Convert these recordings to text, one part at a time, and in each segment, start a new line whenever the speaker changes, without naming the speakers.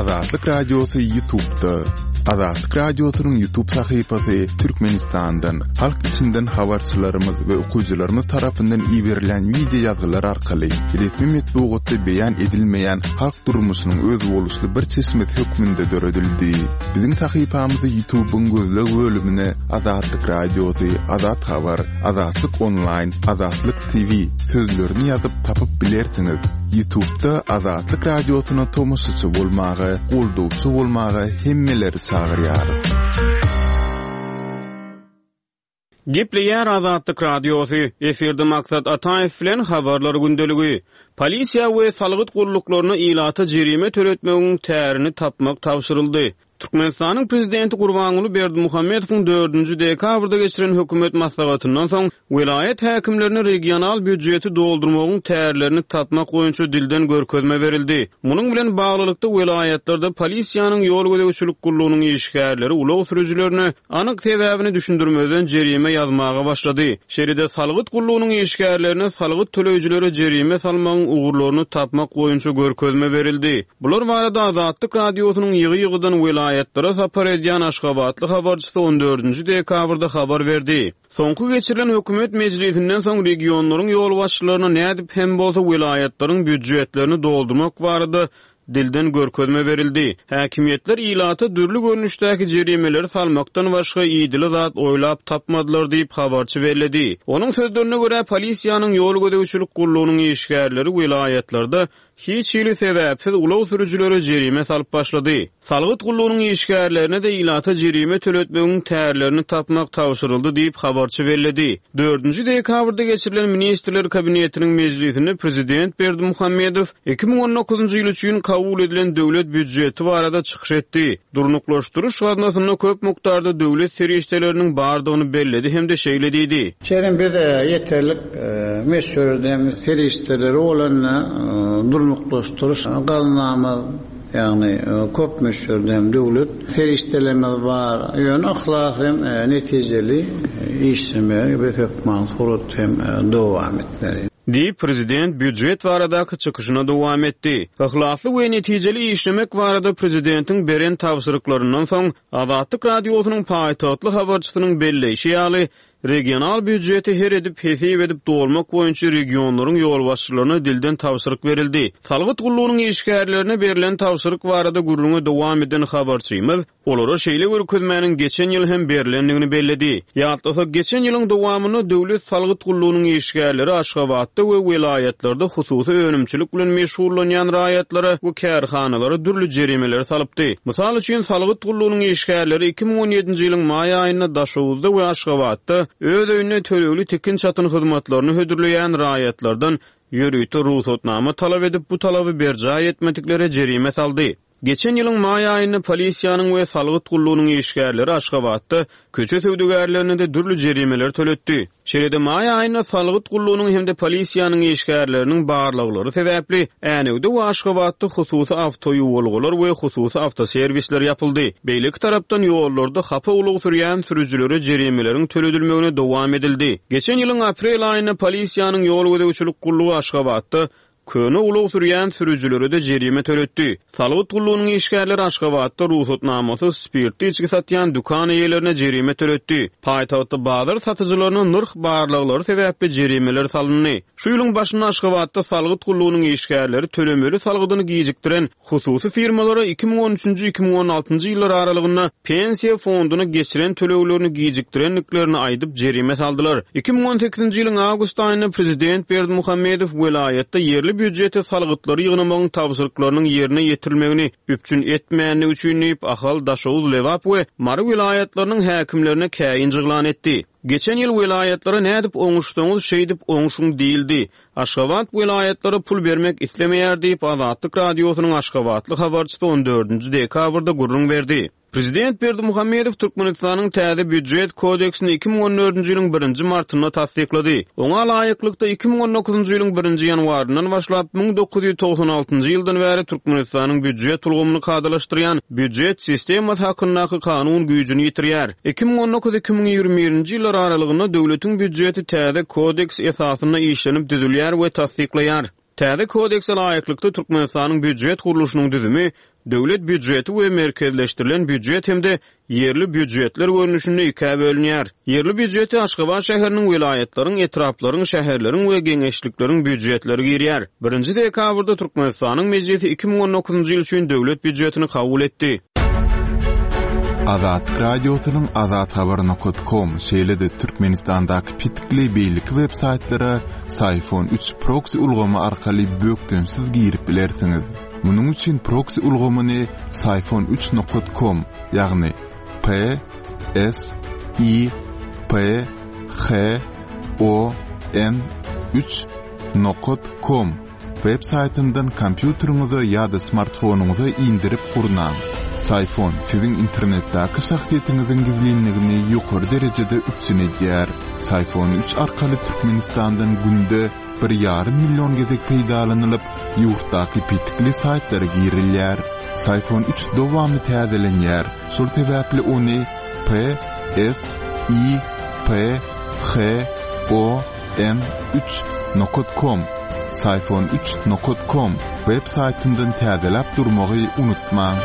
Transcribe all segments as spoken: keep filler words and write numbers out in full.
Azatlyk Radiosy YouTube'da. Azatlyk Radiosynyň YouTube sahypasy Türkmenistandan, halk içinden habarçylarymyz we okyjylarymyz tarapyndan iberilen wideo ýazgylar arkaly resmi metbugatda beýan edilmeýän halk durmuşynyň özboluşly bir çeşmesi hökmünde döredildi. Biziň sahypamyzy YouTube'yň gözleg bölümine Azatlyk Radiosy, Azat Habar, Azatlyk Online, Azatlyk T V sözlerini ýazyp tapyp bilersiňiz. YouTube'da Azatlyk Radiosyna tomaşaçy bolmaga, goldawçy bolmaga hemmeleri çagyrýarys.
Gepleýär Azatlyk Radiosy. Efirde Maksat Ataýew bilen habarlar gündeligi. Polisiýa we salgyt gulluklaryna ilata jerime töletmegiň tärini tapmak tabşyryldy. Türkmenistanyň prezidenti Gurbanguly Berdimuhamedowyň dördünji dekabrda geçiren hökümet maslahatyndan soň welaýat häkimlerine regional býujeti doldurmagyň tärlerini tapmak boýunça dilden görkezme berildi. Munuň bilen baglylykda welaýatlarda polisiýanyň ýol gözegçilik gullugynyň işgärleri ulag sürüjilerine anyk sebäbini düşündirmezden jerime ýazmaga başlady. Şeýle-de salgyt gullugynyň işgärlerine salgyt töleýjilere jerime salmagyň ugurlaryny tapmak boýunça görkezme berildi. Bular barada Azatlyk Radiosynyň ýygy-ýygydan welaýatlara sapar edýän Aşgabatly habarçysy on dördünji dekabrda habar berdi. Soňky geçirilen hökümet mejlisinden soň regionlaryň ýolbaşçylaryna nädip hem bolsa welaýatlaryň býujetlerini doldurmak barada dilden görkezme berildi. Häkimiýetler ilata dürli görnüşdäki jerimeleri salmakdan başga idili zat oýlap tapmadylar diýip habarçy belledi. Onuň sözlerine görä, polisiýanyň ýol gözegçilik gullugynyň işgärleri welaýatlarda hiç hili sebäpsiz ulag sürüjilere jerime salyp başlady. Salgyt gullugynyň işgärlerine de ilata jerime töletmegiň tärlerini tapmak tabşyryldy diýip habarçy belledi. Dördünji dekabrda geçirilen Ministrler Kabinetiniň mejlisinde prezident Berdimuhamedow iki müň on dokuzynjy ýyl üçin kabul edilen döwlet býujeti barada çykyş etdi. Durnuklaşdyryş gaznasynda köp mukdarda döwlet serişdeleriniň bardygyny belledi hem-de şeýle diýdi.
Şeýle biz ýeterlik meşhur serişdeleri bolan durnuklaşdyryş gaznamyz, ýagny köp meşhur döwlet serişdelerimiz bar. Ýöne yhlas hem netijeli işlemegi we hökman surat hem dowam etmeli.
Diýip prezident býujet baradaky çykyşyna dowam etdi. Yhlasly we netijeli işlemek barada prezidentiň beren tabşyryklaryndan soň Azatlyk Radiosynyň paýtagtly habarçysynyň belleýşi ýaly, regional býujeti her edip hesip edip dolmak boýunça regionlaryň ýolbaşçylaryna dilden tabşyryk berildi. Salgyt gullugynyň işgärlerine berlen tabşyryk barada gürrüňe dowam eden habarçymyz olara şeýle görkezmäniň geçen ýyl hem berlendigini belledi. Ýatlasak, geçen ýylyň dowamynda döwlet salgyt gullugynyň işgärleri Aşgabatda we welaýatlarda hususy önümçilik bilen meşgullanýan raýatlara we kärhanalara dürli jerimeleri salypdy. Mysal üçin, salgyt gullugynyň işgärleri iki müň on ýedinji ýylyň maý aýynda Daşoguzda we Aşgabatda öz öýünde tölegli tikin çatyn hyzmatlaryny hödürleýän raýatlardan ýörite rugsatnama talap edip, bu talaby berjaý etmediklere jerime saldy. Geçen ýylyň maý aýynda polisiýanyň we salgyt gullugynyň işgärleri Aşgabatda köçe söwdagärlerine de dürli jerimeler töletdi. Şeýle-de maý aýynda salgyt gullugynyň hem-de polisiýanyň işgärleriniň barlaglary sebäpli Änewde we Aşgabatda hususy awtoýuwalgalar we hususy awtoserwisler ýapyldy. Beýleki tarapdan ýollarda hapa ulag sürýän sürüjilere jerimeleriň töledilmegine dowam edildi. Geçen ýylyň aprel aýynda polisiýanyň ýol gözegçilik gullugy Aşgabatda köne ulag sürýän sürüjilere de jerime töletdi. Salgyt gullugynyň işgärleri Aşgabatda rugsatnamasyz spirtli içgi satýan dükan eýelerine jerime töletdi. Paýtagtda bazar satyjylaryna nyrh barlaglary sebäpli jerimeler salyndy. Şu ýylyň başynda Aşgabatda salgyt gullugynyň işgärleri tölemeli salgydyny gijikdiren hususy firmalara iki müň on üçünji iki müň on altynjy ýyllar aralygynda pensiýa fonduna geçiren töleglerini gijikdirendiklerini aýdyp jerime saldylar. Iki müň on sekizinji ýylyň awgust aýynda prezident Berdimuhamedow welaýatda ýerli býujete salgytlary ýygnamagyň tabşyryklarynyň ýerine ýetirilmegini üpjün etmändigi üçin diýip Ahal, Daşoguz, Lebap we Mary welaýatlarynyň häkimlerine käýinç yglan etdi. Geçen ýyl welaýatlara nädip oňuşsaňyz şeýdip oňşuň diýildi. Aşgabat welaýatlara pul bermek islemeýär diýip Azatlyk Radiosynyň Aşgabatly habarçysy on dördünji dekabrda gürrüň berdi. Prezident Berdimuhamedow Türkmenistanyň täze býujet kodeksini iki müň on dördünji ýylyň birinji martynda tassyklady. Oňa laýyklykda iki müň on dokuzynjy ýylyň birinji ýanwaryndan başlap müň dokuz ýüz togsan altynjy ýyldan bäri Türkmenistanyň býujet ulgamyny kadalaşdyrýan býujet sistemasy hakyndaky kanun güýjüni ýitirýär. Iki müň on dokuz iki müň ýigrimi birinji ýyllar aralygynda döwletiň býujeti täze kodeks esasynda işlenip düzülýär we tassyklaýar. Täze kodekse laýyklykda Türkmenistanyň býujet gurluşynyň düzümi Döwlet býujeti we merkezleşdirilen býujet hem-de ýerli býujetler görnüşinde ikä bölünýär. Ýerli býujeti Aşgabat şäheriniň, welaýatlaryň, etraplaryň, şäherleriň we geňeşlikleriň býujetleri girýär. Birinji dekabrda Türkmenistanyň Mejlisi iki müň on dokuzynjy ýyl üçin döwlet býujetini kabul etdi.
Azatlyk Radiosynyň azathabar nokta com, şeýle-de Türkmenistandaky petikli beýleki web saýtlara Syfon üç proxy ulgamy arkaly bökdençsiz girip bilersiňiz. Munuň üçin proxy ulgamyny Syfon üç nokta com, ýagny P S I P H O N üç nokta com web saýtyndan kompýuteriňize ýa-da smartfonyňyza indirip gurnaň. Syfon siziň internetdäki şahsyýetiňiziň gizlinligini ýokary derejede üpjün edýär. Syfon üç arkaly Türkmenistandan günde bir ýarym million gezek peýdalanylyp, ýurtdaky petikli saýtlara girilýär. Syfon üç dowamly täzelenýär. Şol sebäpli ony P S I P H O N üç nokta com, Syfon üç nokta com web saýtyndan täzeläp durmagy unutmaň.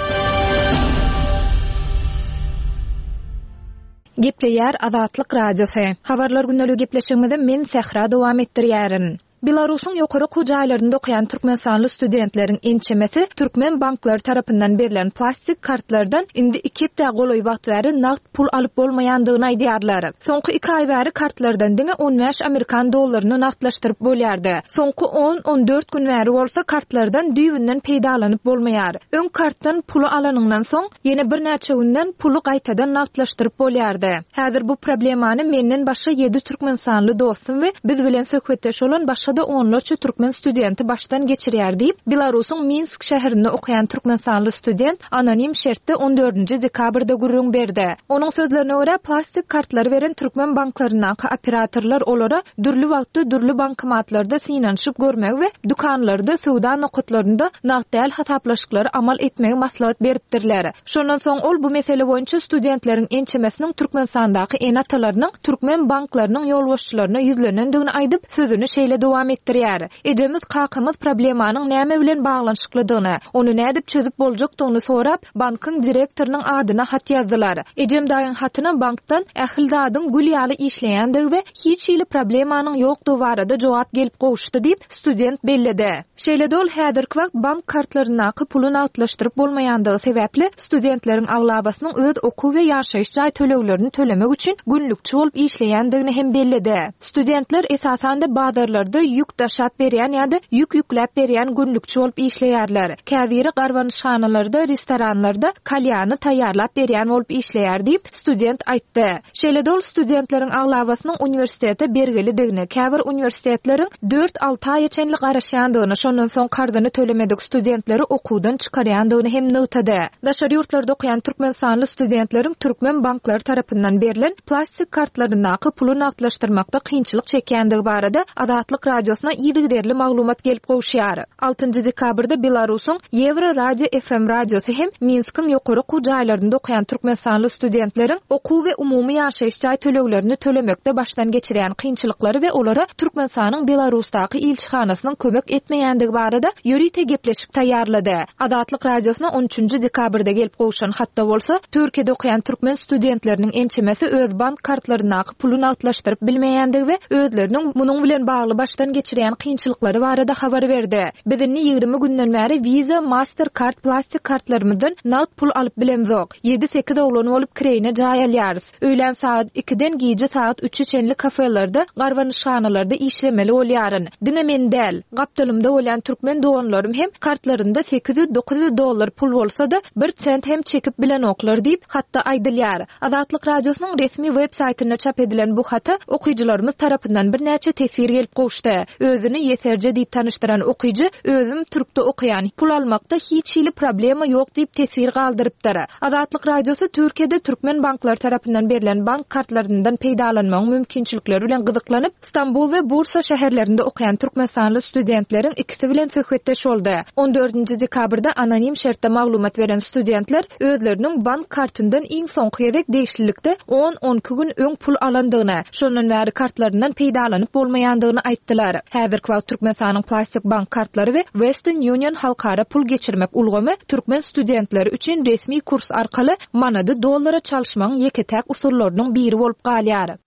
Gepleýär Azatlyk Radiosy. Habarlar gündelik gepleşigimizi men Sähra dowam etdirýärin. Belarusyň ýokary okuw jaýlarynda okaýan Türkmenistanly studentleriň ençemesi türkmen banklary tarapyndan berlen plastik kartlardan indi iki hepde golaý wagt bäri nagt pul alyp bolmaýandygyny aýdýarlar. Soňky iki aý bäri kartlardan diňe on bäş amerikan dollaryny nagtlaşdyryp bolýardy. Soňky on, on dört gün bäri bolsa kartlardan düýbünden peýdalanyp bolmaýar. Öň kartdan puly alanyňdan soň ýene birnäçe günden puly gaýtadan nagtlaşdyryp bolýardy. Häzir bu problemany menden başga ýedi Türkmenistanly dostum we biz bilen söhbetdeş bolan başga da onlarça türkmen studenti başdan geçirýär diýip, Belarusyň Minsk şäherinde okaýan Türkmenistanly student anonim şertde on dördünji dekabrda gürrüň berdi. Onuň sözlerine görä plastik kartlary beren türkmen banklaryndaky operatorlar olara dürli wagtda dürli bankomatlarda synanyşyp görmegi we dükanlarda söwda nokatlarynda nagt däl hasaplaşyklary amal etmegi maslahat beripdirler. Şondan soň ol bu mesele boýunça studentleriň ençemesiniň Türkmenistandaky ene-atalarynyň türkmen banklarynyň ýolbaşçylaryna ýüzlenendigini aýdyp, sözüni şeýle dowam etdirýär. Ejemiz kakamyz problemanyň näme bilen baglanyşyklydygyny, ony nädip çözüp boljakdygyny sorap, bankyň direktorynyň adyna hat ýazdylar. Ejem daýyň hatyna bankdan ähli zadyň gül ýaly işleýändigi we hiç hili problemanyň ýokdugy barada jogap gelip gowuşdy diýip, student belledi. Şeýle de ol häzirki wagt bank kartlaryndaky puly nagtlaşdyryp bolmaýandygy sebäpli studentleriň aglabasynyň öz okuw we ýaşaýyş jaý töleglerini tölemek üçin günlükçi bolup işleýändigini hem belledi. Studentler esasan-da bazarlarda ýük daşap berýän ýa-da ýük ýükläp berýän günlükçi bolup işleýärler. Käbiri garbanyşhanalarda, restoranlarda kalýany taýýarlap berýän bolup işleýär diýip, student aýtdy. Şeýle de ol studentleriň aglabasynyň uniwersitete bergilidigini, käbir uniwersitetleriň dört-alty aýa çenli garaşýandygyny, şondan soň karzyny tölemedik studentleri okuwdan çykarýandygyny hem nygtady. Daşary ýurtlarda okaýan Türkmenistanly studentleriň türkmen banklary tarapyndan berlen plastik kartlaryndaky puly nagtlaşdyrmakda kynçylyk çekýändigi barada Azatlyk Radiosyna yzygiderli maglumat gelip gowuşýar. Altynjy dekabrda Belarusyň Ýewro Radio F M radiosy hem Minskiň ýokary okuw jaýlarynda okaýan Türkmenistanly studentleriň okuw we umumy ýaşaýyş jaý töleglerini tölemekde başdan geçirýän kynçylyklary we olara Türkmenistanyň Belarusdaky ilçihanasynyň kömek etmeýändigi barada ýörite gepleşik taýýarlady. Azatlyk Radiosyna on üçünji dekabrda gelip gowşan hatda bolsa, Türkiýede okaýan türkmen studentleriniň ençemesi öz bank kartlaryndaky puly nagtlaşdyryp bilmeýändigi we özleriniň munuň bilen bagly başdan geçirýän kynçylyklary barada habar berdi. Biz indi ýigrimi günden bäri Visa, Mastercard plastik kartlarymyzdan nagt pul alyp bilemzok. Ýedi-sekiz oglan bolup kireýine jaý alýarys. Öýlän saat ikiden gije saat üçe çenli kafelerde, garbanyşhanalarda işlemeli bolýaryn. Diňe men däl, gapdalymda bolýan türkmen doganlarym hem kartlarynda sekiz ýüz dokuz ýüz dollar pul bolsa-da bir sent hem çekip bilenoklar diýip, hatda aýdylýar. Azatlyk Radiosynyň resmi web saýtynda çap edilen bu hata okyjylarymyz tarapyndan birnäçe teswir gelip gowuşdy. Özüni Ýeserje diýip tanyşdyran okyjy, özüm türkde okaýan, pul almakda hiç hili problema ýok diýip teswir galdyrypdyr. Azatlyk Radiosy Türkiýede türkmen banklary tarapyndan berlen bank kartlaryndan peýdalanmagyň mümkinçilikleri bilen gyzyklanyp, Stambul we Bursa şäherlerinde okaýan Türkmenistanly studentleriň ikisi bilen söhbetdeş boldy. On dördünji dekabrda anonim şertde maglumat beren studentler özleriniň bank kartyndan iň soňky gezek degişlilikde on-on iki gün öň pul alandygyny, şondan bäri kartlaryndan peýdalanyp bolmaýandygyny aýtdylar. alýarlar. Häzirki wagt Türkmenistanyň plastik bank kartlary we Western Union halkara pul geçirmek ulgamy türkmen studentleri üçin resmi kurs arkaly manady dollara çalyşmagyň ýeke-täk usullarynyň biri bolup galýar.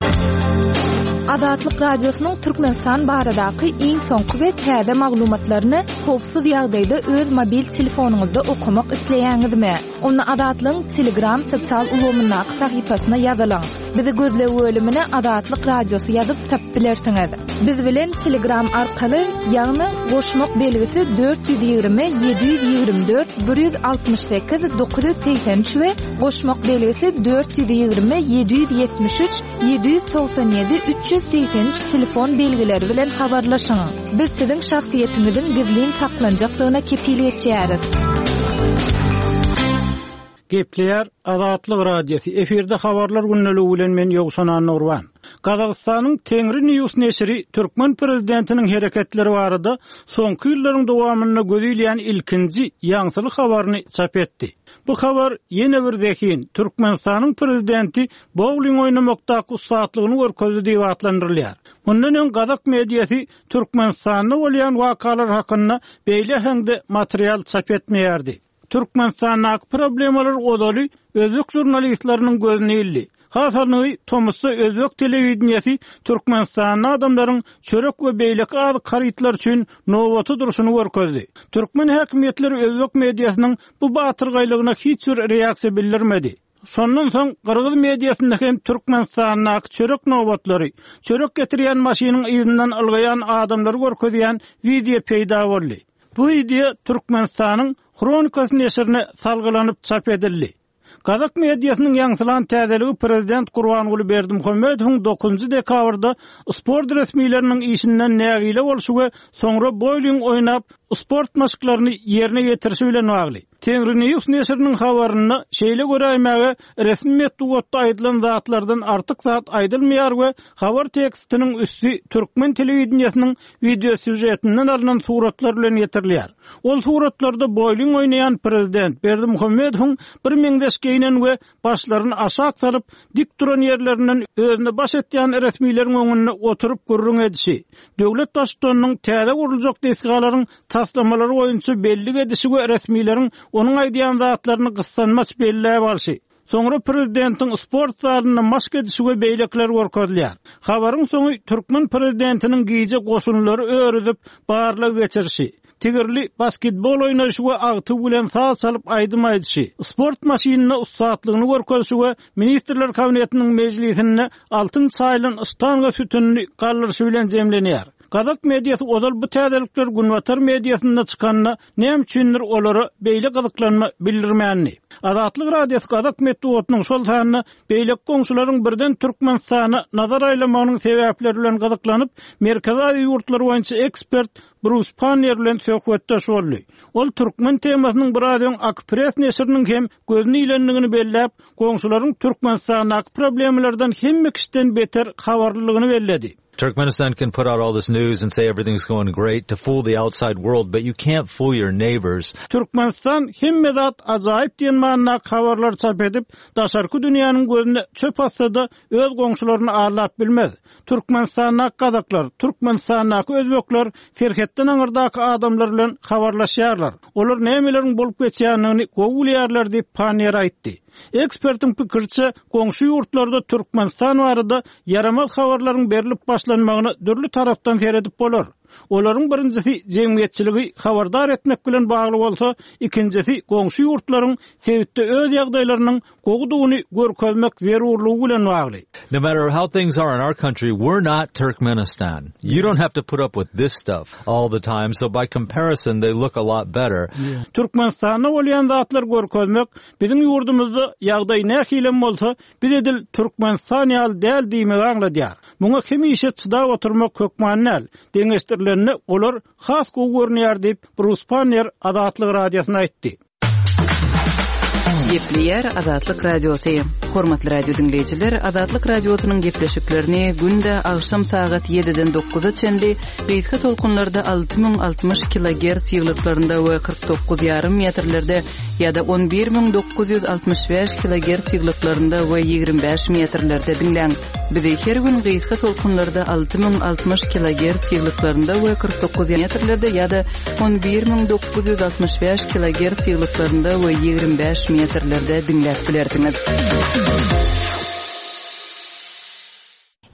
Azatlyk Radiosynyň Türkmenistan baradaky iň soňky we täze maglumatlaryny howpsuz ýagdaýda öz mobil telefonyňyzda okamak isleýäňizmi? Onda Azatlygyň Telegram sosial ulgamyndaky sahypasyna ýazylyň. Bizi gözleg bölümine Azatlyk Radiosy ýazyp tapyp bilersiňiz. Biz bilen Telegram arkaly, ýagny goşmak belgisi dört ýüz ýigrimi ýedi ýüz ýigrimi dört bir ýüz altmyş sekiz dokuz ýüz segsen üç we goşmak belgisi dört ýüz ýigrimi ýedi ýüz ýetmiş üç ýedi ýüz togsan ýedi üç ýüz segsen üç telefon belgileri bilen habarlaşyň. Biz siziň şahsyýetiňiziň gizlin saklanjakdygyna kepil geçýäris.
Gepleýär Azatlyk Radiosy. Efirde habarlar gündeligi bilen men Ýowşan Annurban. Gazagystanyň Tengri News neşiri türkmen prezidentiniň hereketleri barada soňky ýyllaryň dowamynda gözilýän ilkinji ýaňsyly habaryny çap etdi. Bu habar ýene bir zehin Türkmenistanyň prezidenti bowling oýnamakdaky ussatlygyny görkezdi diýip atlandyrylýar. Mundan öň Gazak mediasy Türkmenistanda bolýan wakalar hakynda beýle häňde material çap etmeýärdi. Türkmenistandaky problemalar ozaly özbek žurnalistleriniň gözüne ildi. Hasanly Tomusda özbek telewideniýesi Türkmenistanda adamlaryň çörek we beýleki azyk harytlar üçin nobaty durşuny görkezdi. Türkmen häkimiýetleri özbek mediasynyň bu batyrgaýlygyna hiç bir reaksiýa bildirmedi. Şondan soň Gyrgyz mediasynda hem Türkmenistandaky çörek nobatlary, çörek getirýän maşynyň yzyndan ylgaýan adamlary görkezýän wideo peýda boldy. Bu wideo Türkmenistanyň Hronikasy neşirine salgylanyp çap edildi. Gazak mediasynyň ýaňsylan täzeligi prezident Gurbanguly Berdimuhamedowyň dokuzynjy dekabrda sport resmileriniň işinden nägile bolşy we soňra bowling oýnap sport maşklaryny ýerine ýetirişi bilen bagly. Tengri News neşiriniň habarynda şeýle göräýmäge resmi metbugatda aýdylan zatlardan artyk zat aýdylmaýar we habar tekstiniň üsti türkmen telewideniýesiniň video sýujetinden alynan suratlar bilen ýetirilýär. Ol suratlarda bowling oýnaýan prezident Berdimuhamedowyň bir meňzeş geýnen we başlaryny aşak salyp dik duran ýerlerinden özüne baş etýän resmileriň öňünde oturyp gürrüň edişi, döwlet baştutanynyň täze guruljak desgalaryň taslamalary boýunça bellik edişi we resmileriň onuň aýdýan zatlaryny gyssanmaç belläp alşy, soňra prezidentiň sport zalynda maşk edişi we beýlekler görkezilýär. Habaryň soňy türkmen prezidentiniň gije goşunlary örüzip barlag geçirişi, tigirli basketbol oýnaýşy we agty bilen saz çalyp aýdym aýdyşy, sport maşynynda ussatlygyny görkezişi we Ministrler Kabinetiniň mejlisinde altyn çaýlan ştanga sütünini galdyryşy bilen jemlenýär. Gazak mediasy ozal bu täzelikler Günbatar mediasynda çykanda näme üçindir olara beýle gyzyklanma bildirmändi. Azatlyk Radiosy Gazak metbugatynyň şol sanda beýleki goňşularyň birden Türkmenistana nazar aýlamagynyň sebäpleri bilen gyzyklanyp, Merkezi Aziýa ýurtlary boýunça ekspert Brus Pannier bilen söhbetdeş boldy. Ol türkmen temasynyň biraz öň Akpress neşiriniň hem gözüni ilendigini belläp, goňşularyň Türkmenistandaky problemlerden hemme kişiden beter habarlylygyny belledi.
Turkmenistan can put out all this news and say everything's going great to fool the outside world, but you can't fool your neighbors.
Türkmenistan hemme zat ajaýyp diýen manydaky habarlar çap edip, daşarky dünýäniň gözüne çöp atsa-da öz goňşularyny aldap bilmez. Türkmenistandaky gazaklar, Türkmenistandaky özbekler serhetden aňyrdaky adamlar bilen habarlaşýarlar. Olar nämeleriň bolup geçýändigini gowy bilýärler diýip Pannier aýtdy. Ekspertiň pikiriçe, goňşy ýurtlarda Türkmenistan barada ýaramaz habarlaryň berilip başlanmagyna dürli tarapdan seredip bolar. Olaryň birinjisi jemgyýetçiligi habardar etmek bilen bagly bolsa, ikinjisi goňşy ýurtlaryň sebitde öz ýagdaýlarynyň gowudygyny görkezmek zerurlygy bilen bagly.
No matter how things are in our country, we're not Turkmenistan. You don't have to put up with this stuff all the time, so by comparison they look a lot better.
Türkmenistanda bolýan zatlar görkezmek, biziň ýurdumyzda ýagdaý nähili bolsa, biz edil Türkmenistan ýaly däl diýmegi aňladýar. Muňa hemişe çydap oturmak hökman däl. Deňeşdirileninde olar has gowy görünýär diýip Brus Pannier Azatlyk Radiosyna aýtdy.
Gepleýär Azatlyk Radiosy. Hormatly radio diňleýjiler, Azatlyk Radiosynyň gepleşiklerini günde agşam sagat ýediden dokuza çenli gysga tolkunlarda alty müň altmyş kilogertz ýyglyklarynda we kyrk dokuz ýarym metrlerde ýa-da on bir müň dokuz ýüz altmyş bäş kilogertz ýyglyklarynda we ýigrimi bäş metrlerde diňläň. Bizi her gün gysga tolkunlarda alty müň altmyş kilogertz ýyglyklarynda we kyrk dokuz metrlerde ýa-da on bir müň dokuz ýüz altmyş bäş kilogertz ýyglyklarynda we ýigrimi bäş metrlerde diňläp bilersiňiz.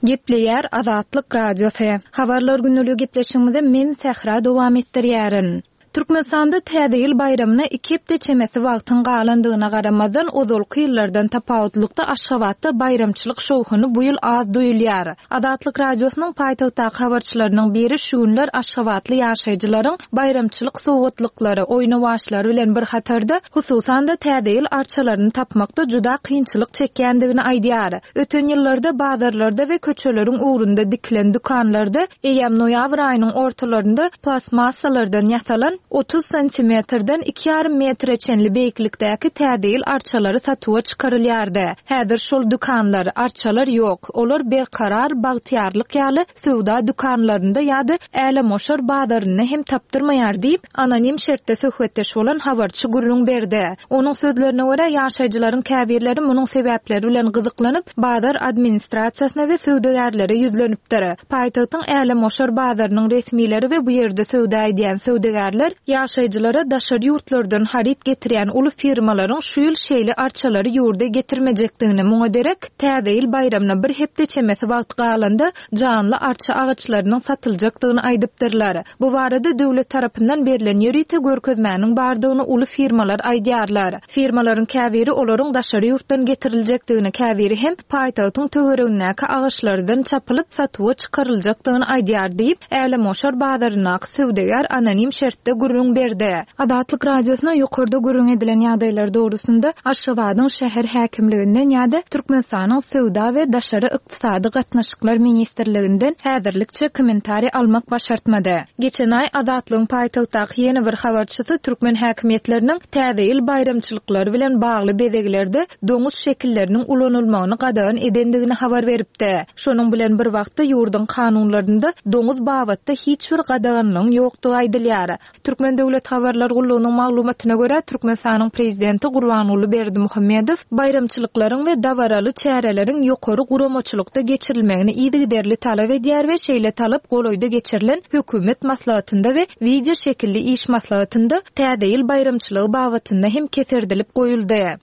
Gepleýär Azatlyk Radiosy. Habarlar günlügi gepleşigimizi men Sähra dowam etdirýärin. Türkmenistanda Täze ýyl baýramyna iki hepde çemesi wagtyň galandygyna garamazdan ozalky ýyllardan tapawutlykda Aşgabatda baýramçylyk şowhuny bu ýyl az duýulýar. Azatlyk Radiosynyň paýtagtdaky habarçylarynyň biri şu günler Aşgabatly ýaşaýjylaryň baýramçylyk sowgatlyklary, oýnawaçlary bilen bir hatarda hususan-da Täze ýyl arçalaryny tapmakda juda kynçylyk çekýändigini aýdýar. Öten ýyllarda bazarlarda we köçeleriň ugrunda dikilen dükanlarda eýýäm noýabr aýynyň ortalarynda plastmassalardan ýasalan otuz santimetrden iki ýarym metre çenli beýiklikdäki Täze ýyl arçalary satuwa çykarylýardy. Häzir şol dükanlar, arçalar ýok. Olar berkarar, bagtyýarlyk ýaly söwda dükanlarynda ýa-da älemoşar bazarynda hem tapdyrmaýar diýip, anonim şertde söhbetdeş bolan habarçy gürrüň berdi. Onuň sözlerine görä ýaşaýjylaryň käbirleri munuň sebäpleri bilen gyzyklanyp, bazar administrasiýasyna we söwdagärlere ýüzlenipdir. Paýtagtyň älemoşar bazarynyň resmileri we bu ýerde söwda edýän söwdagärler ýaşaýjylara daşary ýurtlardan haryt getirýän uly firmalaryň şu ýyl şeýle arçalary ýurda getirmejekdigini, muňa derek Täze ýyl baýramyna bir hepde çemesi wagt galanda janly arça agaçlarynyň satyljakdygyny aýdypdyrlar. Bu barada döwlet tarapyndan berlen ýörite görkezmäniň bardygyny uly firmalar aýdýarlar. Firmalaryň käbiri olaryň daşary ýurtdan getiriljekdigini, käbiri hem paýtagtyň töweregindäki agaçlardan çapylyp satuwa çykaryljakdygyny aýdýar diýip, Älemoşar bazaryndaky söwdagär anonim şertde gürrüň berdi. Azatlyk Radiosyna ýokarda gürrüň edilen ýagdaýlar dogrusynda Aşgabadyň şäher häkimliginden ýa-da Türkmenistanyň Söwda we Daşary Ykdysady Gatnaşyklar Ministrliginden häzirlikçe kommentariý almak başartmady. Geçen aý Azatlygyň paýtagtdaky ýene bir habarçysy türkmen häkimiýetleriniň Täze ýyl baýramçylyklary bilen bagly bezeglerde doňuz şekilleriniň ulanylmagyny gadagan edendigini habar beripdi. Şonuň bilen bir wagtda ýurduň kanunlarynda doňuz babatda hiç bir gadaganlygyň ýokdugy aýdylýar. Türkmen Döwlet Habarlar Gullugynyň maglumatyna görä Türkmenistanyň prezidenti Gurbanguly Berdimuhamedow baýramçylyklaryň we dabaraly çäreleriň ýokary guramaçylykda geçirilmegini yzygiderli talap edýär we şeýle talap golaýda geçirilen hökümet maslahatynda we wideo şekilli iş maslahatynda Täze ýyl baýramçylygy babatynda hem keserdilip goýuldy.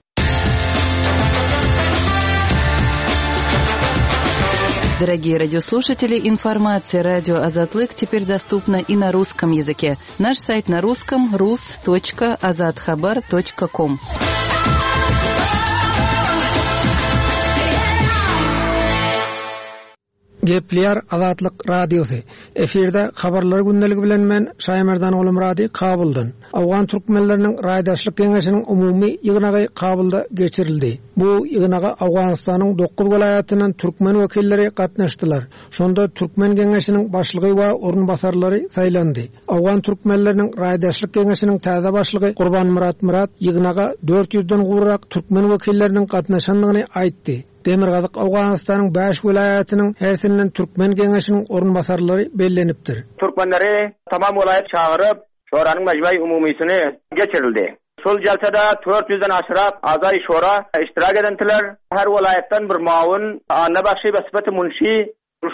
Дорогие радиослушатели, информация радио Азатлык теперь доступна и на русском языке. Наш сайт на русском рус точка азатхабар точка ком.
Gepleýär Azatlyk Radiosy. Efirde habarlar gündeligi bilen men Şaýmerdan Oglumyrady Kabuldan. Awgan türkmenleriniň raýdaşlyk geňeşiniň umumy ýygnagy Kabulda geçirildi. Bu ýygnaga Awganystanyň dokuz welaýatyndan türkmen wekilleri gatnaşdylar. Şonda Türkmen geňeşiniň başlygy we orunbasarlary saýlandy. Awgan türkmenleriniň raýdaşlyk geňeşiniň täze başlygy Gurbanmyrat Myrat ýygnaga dört ýüzden gowrak türkmen wekilleriniň gatnaşandygyny aýtdy. Demirgazyk Awganystanyň bäş welaýatynyň hersinden Türkmen geňeşiniň orunbasarlary bellenipdir.
Türkmenleri tamam welaýat çagyryp, şoranyň mejmai umumysyny geçirildi. Şol jalsada dört ýüzden aşyrak azay şora iştirak edentiler. Her welaýatdan bir mawun Anna Bakşy we Sıfatı Munşi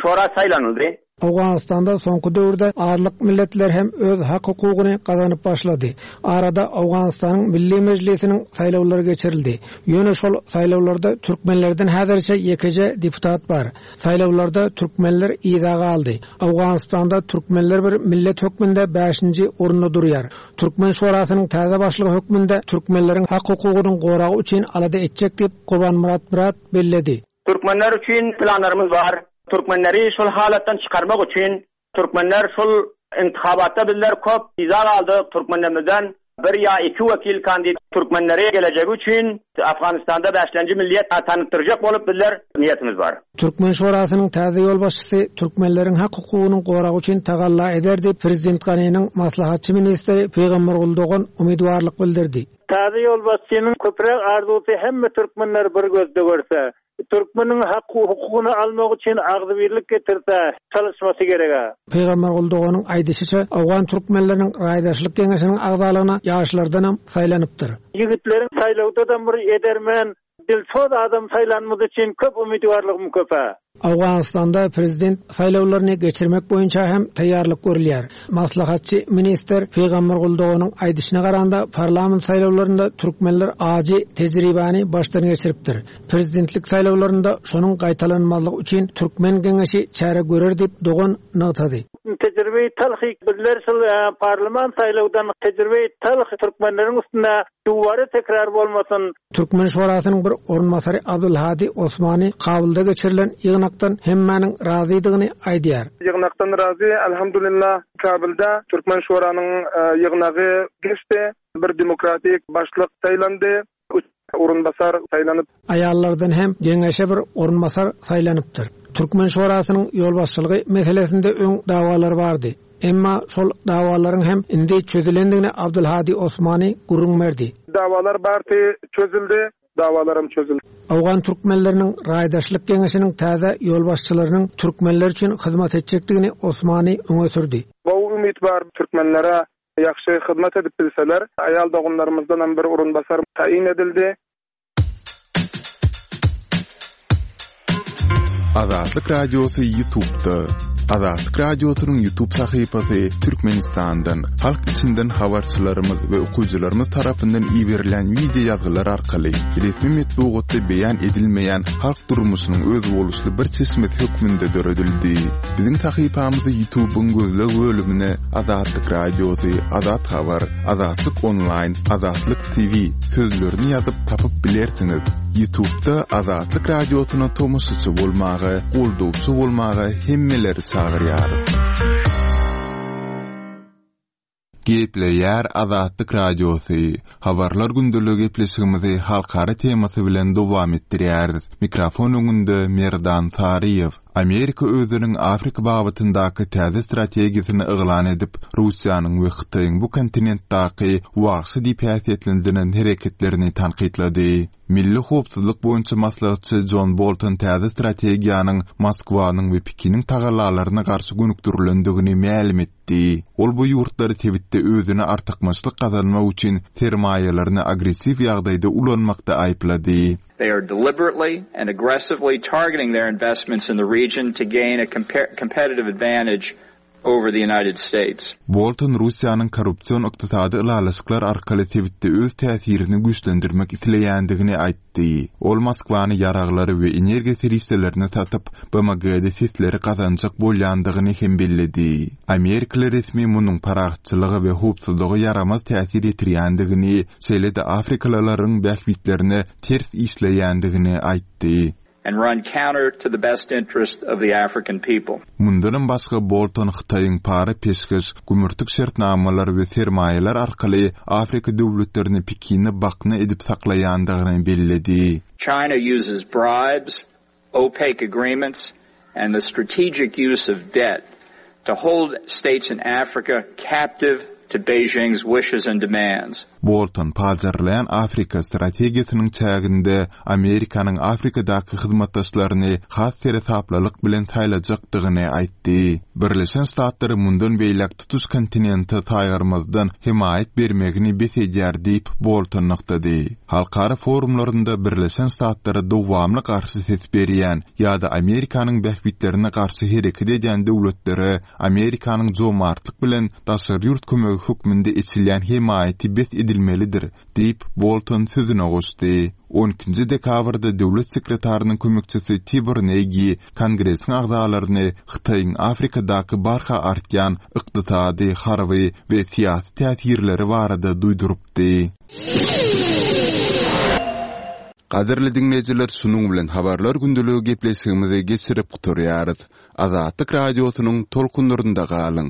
şora saýlanyldy.
Awganystanda soňky döwürde azlyk milletler hem öz hak hukugyny gazanyp başlady. Arada Awganystanyň Milli Mejlisiniň saýlawlary geçirildi. Ýöne şol saýlawlarda türkmenlerden häzirçe ýekeje deputat bar. Saýlawlarda türkmenler yza galdy. Awganystanda türkmenler bir millet hökmünde bäşinji orunda durýar. Türkmen şorasynyň täze başlygy hökmünde türkmenleriň hak hukugynyň goragy üçin alada etjek diýip Gurbanmyrat Myrat belledi.
Türkmenler üçin planlarymyz bar. Türkmenleri şol halatdan çıkarmak üçin Türkmenler şol intihabatda bizler köp yza galdy. Türkmenlerimizden Bir ýa iki wekil kandid türkmenleri gelejegi üçin Afganistanda bäşlenji milliýet tanytdyrjak bolup bizler niýetimiz bar.
Türkmen şorasynyň täze ýolbaşçysy türkmenleriň hak-hukugynyň goragy üçin tagalla eder diýip prezident Ganiniň maslahatçy ministri Pygambergul Dogan umytwarlyk bildirdi.
Täze ýolbaşçynyň köpräk arzuwsy hemme türkmenler bir gözde görse, türkmeniň hak-hukugyny almak üçin agzybirlik getirse, çalışmasy gerek.
Pygambergul Doganyň aýdyşyça Awgan türkmenleriniň raýdaşlyk geňeşiniň agzalygyna ýaşlardanam saýlanypdyr.
Ýigitleriň saýlawda da bir edermen, dilsoz adam saýlanmaz üçin köp umytwarlygym köp.
Awganistanda prezident saýlawlaryny geçirmek boýunça hem taýýarlyk görülýär. Maslahatçy ministr Pygambergul Doganyň aýdyşyna garanda parlament saýlawlarynda türkmenler ajy tejribäni başdan geçiripdir. Prezidentlik saýlawlarynda şonuň gaýtalanmazlygy üçin türkmen geňeşi çäre görer diýip Dogan nygtady.
Tejribe talhy bizler şol parlament saýlawdan tejribe talhy türkmenleriň üstüne duwary tekrar bolmasyn.
Türkmen şorasynyň bir orunbasary Abdulhadi Osmani Kabulda geçirilen ýygnakdan hemmäniň razydygyny aýdýar.
Ýygnakdan razy, elhamdülillah Kabulda Türkmen şoranyň ýygnagy geçdi. Bir demokratik başlyk saýlandy. Üç orunbasar saýlanyp.
Aýallardan hem geňeşe bir orunbasar saýlanypdyr. Türkmen şorasynyň ýolbaşçylygy meselesinde öň dawalar bardy. Emma şol dawalaryň hem indi çözülendigini Abdulhadi Osmani gürrüň berdi.
Dawalar bardy, çözüldi. Dawalaram çözüldi.
Awgan türkmenleriniň raýdaşlyk geňeşiniň täze ýolbaşçylarynyň türkmenler üçin hyzmat etjekdigini Osmani öňe sürdi.
Bu ümit bar türkmenlere ýagşy hyzmat edip bilseler, aýal doganlarymyzdan hem bir orunbasar taýyn edildi.
Azatlyk Radiosy YouTube'da. Azatlyk Radiosynyň YouTube sahypasy Türkmenistandan, halk içinden habarçylarymyz we okyjylarymyz tarapyndan iberilen wideo ýazgylar arkaly resmi metbugatda beýan edilmeýän halk durmuşynyň özboluşly bir çeşmesi hökmünde döredildi. Biziň sahypamyzy YouTube'yň gözleg bölümine Azatlyk Radiosy, Azat Habar, Azatlyk Online, Azatlyk T V sözlerini ýazyp tapyp bilersiňiz. YouTube'da Azatlyk Radiosyna tomaşaçy bolmaga, goldawçy bolmaga hemmeleri çagyrýarys. Gepleýär Azatlyk Radiosy. Habarlar gündeligi gepleşigimizi halkara temasy bilen dowam etdirýäris. Mikrofon öňünde Merdan Saryýew. Amerika özüniň Afrika babatyndaky täze strategiýasyny yglan edip, Russiýanyň we Hytaýyň bu kontinentdäki wagşy diýip häsiýetlendirilen hereketlerini tankytlady. Milli howpsuzlyk boýunça maslahatçy John Bolton täze strategiýanyň Moskwanyň we Pekiniň tagallalaryna garşy gönükdirilendigini mälim etdi. Ol bu ýurtlary sebitde özüne artykmaçlyk gazanmak üçin sermaýalaryny agressiw ýagdaýda ulanmakda aýyplady.
They are deliberately and aggressively targeting their investments in the region to gain a compar-, competitive advantage over the United States.
Bolton Russiýanyň korrupsion ykdysady ylalaşyklar arkaly sebitde öz täsirini güýçlendirmek isleýändigini aýtdy. Ol Moskwany ýaraglary we energiýa serişdelerini satyp, B M G-de sesleri gazanjak bolýandygyny hem belledi. Amerikaly resmi munuň parahatçylyga we howpsuzlyga ýaramaz täsir ýetirýändigini, şeýle-de Afrikalylaryň bähbitlerine ters işleýändigini aýtdy.
And run counter to the best interest of the African people.
Mundanam başga Bolton Hytaýyň para peşgeş, gümürtik şertnamalar we sermaýalar arkaly Afrika döwletlerini Pekine bakna edip saklaýandygyny belledi.
China uses bribes, opaque agreements and the strategic use of debt to hold states in Africa captive to Beijing's wishes and demands.
Bolton pajarlaýan Afrika strategiýasynyň çäginde Amerikanyň Afrikadaky hyzmatdaşlaryny has seresaplylyk bilen saýlajakdygyny aýtdy. Birleşen Ştatlary mundan beýläk tutuş kontinente saýgarmazdan hemaýat bermegini bes edýär diýip Bolton nygtady. Halkara forumlarynda Birleşen Ştatlara dowamly garşy ses berýän ýa-da Amerikanyň bähbitlerine garşy hereket edýän döwletlere Amerikanyň jomartlyk bilen daşary ýurt kömegi hökmünde eçilýän hemaýaty bes edilmelidir diýip Bolton sözüne goşdy. on ikinji dekabrda döwlet sekretarynyň kömekçisi Tibor Negi Kongresiň agzalaryny Hytaýyň Afrikadaky barha artýan ykdysady, harby we syýasy täsirleri barada duýdurypdy. Gadyrly dinleýjiler, şunuň bilen habarlar gündeligi gepleşigimizi geçirip gutarýarys. Azatlyk radiosynyň tolkunlarynda galyň.